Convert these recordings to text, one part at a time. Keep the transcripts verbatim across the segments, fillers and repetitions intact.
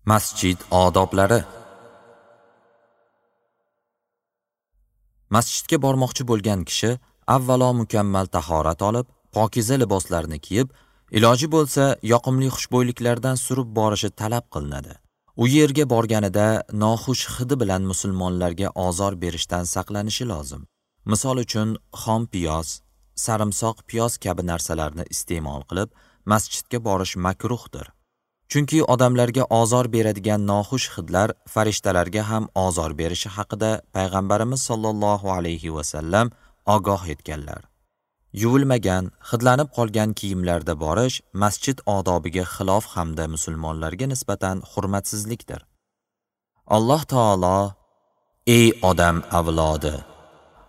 Masjid odoblari. Masjidga bormoqchi bo'lgan kishi avvalo mukammal tahorat olib, pokiza liboslarni kiyib, iloji bo'lsa yoqimli xushbo'yliklardan surib borishi talab qilinadi. U yerga borganida noxush hidi bilan musulmonlarga ozor berishdan saqlanishi lozim. Misol uchun, xom piyoz, sarimsoq piyoz kabi narsalarni iste'mol qilib, masjidga borish makruhdir. Chunki odamlarga ozor beradigan noxush hidlar farishtalarga ham ozor berishi haqida payg'ambarimiz sollallohu alayhi va sallam ogoh etganlar. Yuvilmagan, hidlanib qolgan kiyimlarda borish masjid odobiga xilof hamda musulmonlarga nisbatan hurmatsizlikdir. Alloh taolo: "Ey odam avlodi,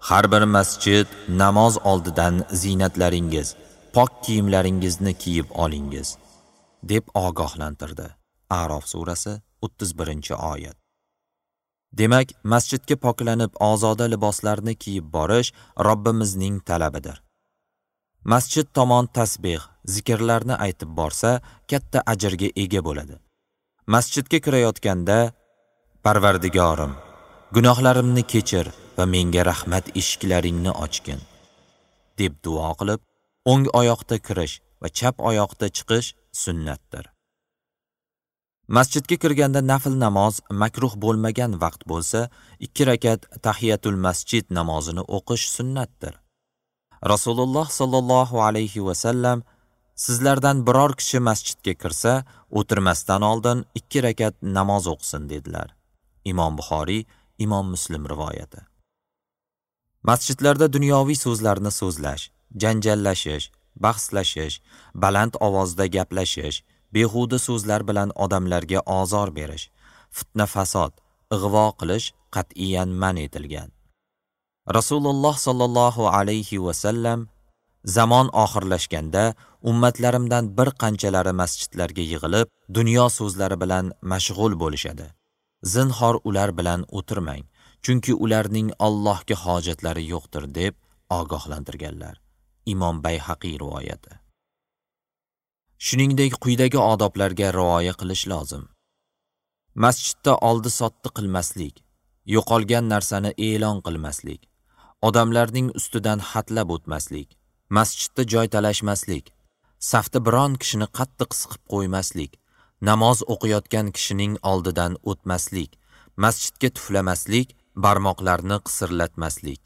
har bir masjid namoz oldidan ziynatlaringiz, pok kiyimlaringizni kiyib olingiz" deb ogohlantirdi. A'rof surasi o'ttiz birinchi oyat. Demak, masjidga poklanib ozoda liboslarni kiyib borish Robbimizning talabidir. Masjid tomon tasbih, zikrlarni aytib borsa, katta ajrga ega bo'ladi. Masjidga kirayotganda: "Parvardigorim, gunohlarimni kechir va menga rahmat eshiklaringni ochgin" deb duo qilib, o'ng oyoqda kirish va chap oyoqda chiqish sunnatdir. Masjidga kirganda nafl namoz makruh bo'lmagan vaqt bo'lsa, ikki rakat tahiyatul masjid namozini o'qish sunnatdir. Rasululloh sallallohu alayhi va sallam: "Sizlardan biror kishi masjidga kirsa, o'tirmasdan oldin ikki rakat namoz o'qisin" dedilar. Imom Buxoriy, Imom Muslim rivoyati. Masjidlarda dunyoviy so'zlarni so'zlash, janjallashish, bahslashish, baland ovozda gaplashish, behuda so'zlar bilan odamlarga ozor berish, fitna-fasod, ig'vo qilish qat'iyan man etilgan. Rasululloh sallallohu alayhi va sallam: "Zamon oxirlashganda ummatlarimdan bir qanchalari masjidlarga yig'ilib, dunyo so'zlari bilan mashg'ul bo'lishadi. Zinhor ular bilan o'tirmang, chunki ularning Allohga hojatlari yo'qdir" deb ogohlantirganlar. Imom Bayhaqiy rivoyati. Shuningdek, quyidagi odoblarga rioya qilish lozim. Masjidda oldi-sotdi qilmaslik, yo'qolgan narsani e'lon qilmaslik, odamlarning ustidan hatlab o'tmaslik, masjidda joy talashmaslik, safda biron kishini qattiq siqib qo'ymaslik, namoz o'qiyotgan kishining oldidan o'tmaslik, masjidga tuflamaslik, barmoqlarni qisirlatmaslik.